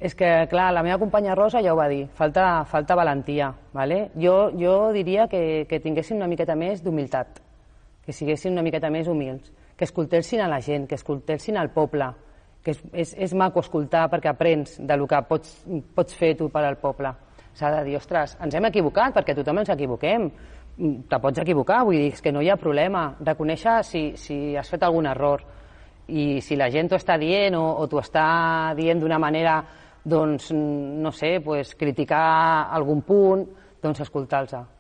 És que, clar, la meva companya Rosa ja ho va dir, falta valentia. ¿Vale? Jo diria que tinguessin una miqueta més d'humilitat, que siguessin una miqueta més humils, que escoltessin a la gent, que escoltessin al poble, que és maco escoltar perquè aprens del que pots fer tu per al poble. S'ha de dir, ostres, ens hem equivocat, perquè tothom ens equivoquem, te pots equivocar, vull dir, és que no hi ha problema, reconèixer si has fet algun error, i si la gent t'ho està dient o t'ho està dient d'una manera, doncs, no sé, criticar algun punt, doncs escoltar-los.